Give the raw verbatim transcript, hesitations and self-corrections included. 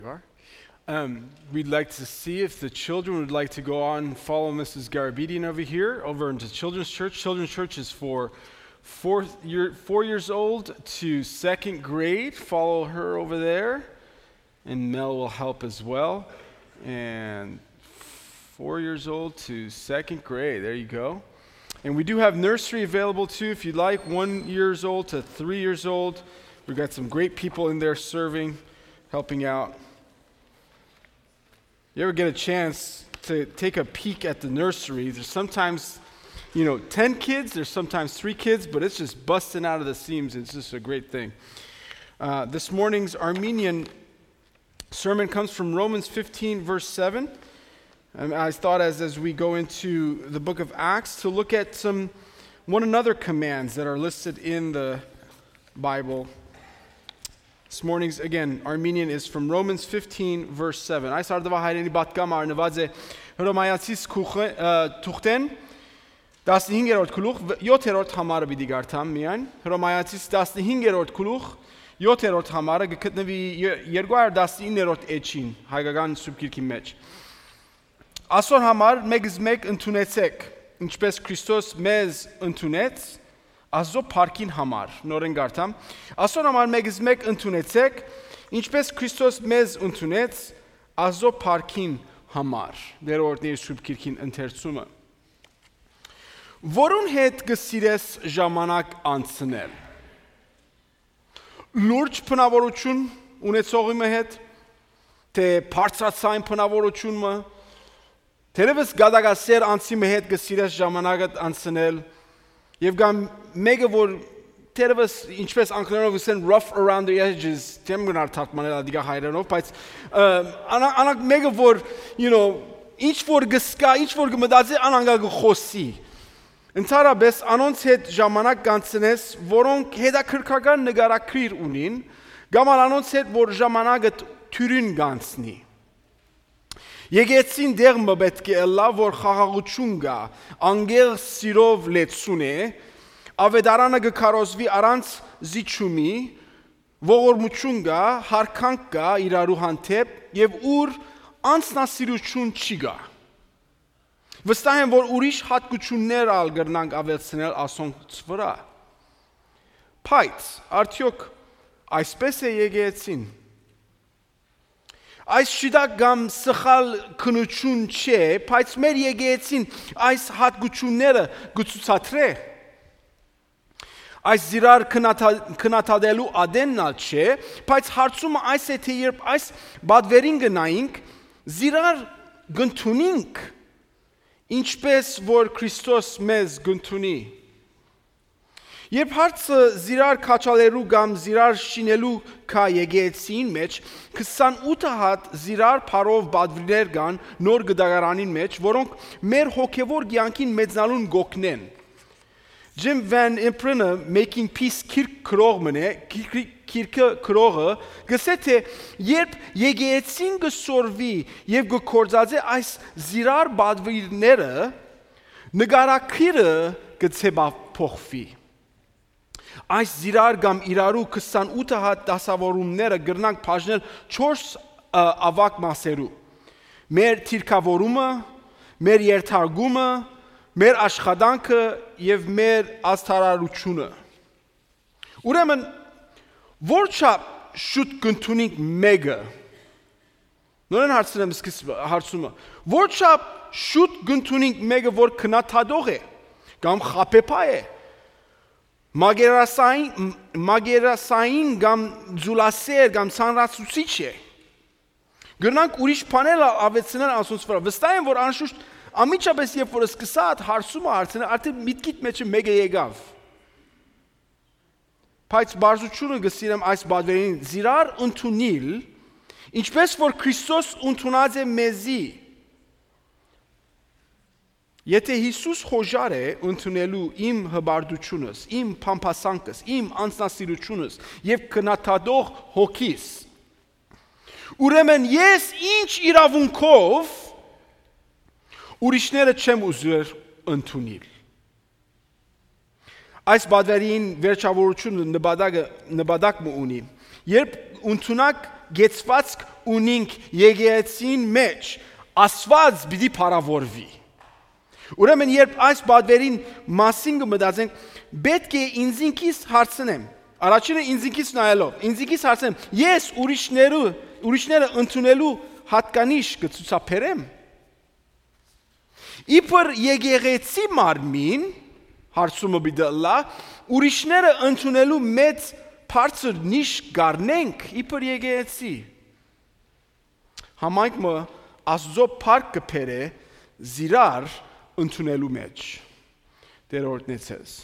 you are. Um, we'd like to see if the children would like to go on and follow Missus Garabedian over here, over into Children's Church. Children's Church is for fourth year, four years old to second grade. Follow her over there, and Mel will help as well. And four years old to second grade. There you go. And we do have nursery available too, if you'd like, one years old to three years old. We've got some great people in there serving, helping out. You ever get a chance to take a peek at the nursery? There's sometimes, you know, ten kids, there's sometimes three kids, but it's just busting out of the seams. It's just a great thing. Uh, this morning's Armenian sermon comes from Romans fifteen, verse seven. And I thought as, as we go into the book of Acts to look at some one another commands that are listed in the Bible. This morning's, again, Armenian is from Romans fifteen, verse seven. Այս արդուայ հայերէնի պատգամը առնուած է Հռոմայացիս քուխ-, ը, թուղթէն, տասնհինգերորդ գլուխ, յոթերորդ համարը պիտի կարդամ միայն։ Հռոմայացիս տասնհինգերորդ գլուխ, յոթերորդ համարը կը գտնուի ե-, երկու հարյուր տասնիններորդ էջին, հայկական Սուրբ Գիրքի մեջ։ Ասոր համար մեկս մեկ ընդունեցէք, ինչպես Քրիստոս մեզ ընդունեց, Աստուծոյ փառքին համար, նորէն կարդամ, ասոր համար մեկս մեկ ընդունեցեք, ինչպես Քրիստոս մեզ ընդունեց, Աստուծոյ փառքին համար, դերորդների Սուրբ Գիրքին ընթերցումը։ Որուն հետ կը սիրես ժամանակ անցնել։ Լուրջ բնաւորութիւն ունեցողի մը հետ, թէ բարձրաձայն բնաւորութիւն մը, թերեւս գատակասեր անձի մը հետ կը սիրես ժամանակդ անցնել, եւ կամ մեկը, որ թերեւս, ինչպես անգլերենով կ'ըսեն, rough around the edges, չեմ գնար թարգմանել ադիկա հայերէնով, բայց, ը, անա-, անակ մեկը, որ, you know, ինչ որ կսկա, ինչ որ կմտածի, անանգա կը խոսի։ Ընդհանրապես անոնց հետ ժամանակ կանցնես, որոնք հետաքրքրական նկարագրիր ունին, կամ ալ անոնց հետ, որ ժամանակը թ-, թիւրին կանցնի։ Եկեցին դեղ մը պէտք է ըլլայ, որ խաղաղութիւն կայ, անկեղծ սիրով լեցուն է, աւետարանը կը քարոզուի առանց զիջումի, ողորմութիւն կայ, յարգանք կայ իրարու հանդէպ եւ ուր անձնասիրութիւն չի կայ։ Վստահ եմ, որ ուրիշ յատկութիւններ ալ կրնանք աւելցնել ասոնց վրայ։ Բայց արդեօք այսպե՞ս է եկեղեցին։ Այս շիտակ կամ սխալ քննութիւն չէ, բայց մեր եկեղեցին այս յատկութիւնները կը ցուցադրէ։ Այս զիրար քննադա-, քննադատելու ատենն ալ չէ, բայց հարցումը այս է, թէ երբ այս պատվերին գնայինք, զիրար կ'ընդունինք, ինչպես որ Քրիստոս մեզ կ'ընդունի։ Երբ հարցը զիրար քաչալելու կամ զիրար շինելու կայ եկեղեցին մեջ, քսանութ հատ զիրար փառով պատվիրներ կան նոր կտակարանին մեջ, որոնք մեր հոգեվոր կեանքին մեծնալուն կ'օգնեն։ Jim Van Impren-ը Making Peace գիրք գրող մըն է, գիրք-, գիրքը գրողը կ'ըսէ, թէ երբ եկեղեցին կը սորվի եւ կը գործածէ այս զիրար պատվիրները, նկարագիրը կը ձեւափոխուի։ Այս զիրար կամ իրարու քսանութ հատ դասաւորումները կրնանք բաժնել չորս, ը, աւագ մասերու։ Մեր դիրքաւորումը, մեր երթարկումը, մեր աշխատանքը եւ մեր ազդարարությունը։ Ուրեմն, որչափ շուտ կ'ընդունինք մեկը, նորէն հարցնեմ սկիզբը, հարցումը, որչափ շուտ կ'ընդունինք մեկը, որ քննադատող է, կամ խաբեբայ է, մագերասային, մագերասային կամ ձուլասեր կամ ծանրացուցիչ է։ Կրնանք ուրիշ բաներ ալ աւելցնել անոնց վրայ։ Վստահ եմ, որ անշուշտ անմիջապես երբ որ սկսա այդ հարցումը հարցնել, արդեն միտքիդ մեջը մեկը եկաւ։ Բայց բարձրությունը կը սիրեմ այս պատվերին զիրար ընդունիլ, ինչպես որ Քրիստոս ընդունած է մեզի։ Եթե Յիսուս խոժար է ընդունելու իմ հպարտությունս, իմ փամփասանքս, իմ անձնասիրությունս եւ քննադատող հոգիս, ուրեմն ես ինչ իրավունքով ուրիշները չեմ ուզեր ընդունիլ։ Այս պատվերին վերջավորությունը նպատակը, նպատակ մը ունի։ Երբ ընդունակ կեցվածք ունինք եկեղեցին մէջ, Աստուած պիտի փառաւորուի։ Ուրեմն, երբ այս պատվերին մասին կը մտածենք, պէտք է ինքզինքիս հարցնեմ։ Առաջինը ինքզինքիս նայելով, ինքզինքիս հարցնեմ, ես ուրիշներու, ուրիշները ընդունելու յատկանիշ կը ցուցաբերեմ։ Իբր եկեղեցի մարմին, հարցումը պիտի ըլլայ, ուրիշները ընդունելու մեծ բարձր նիշ կ'առնենք իբր եկեղեցի։ Համայնքը Աստուծոյ փառք կը բերէ զիրար ընդունելու մէջ։ Տէր օրհնեցես։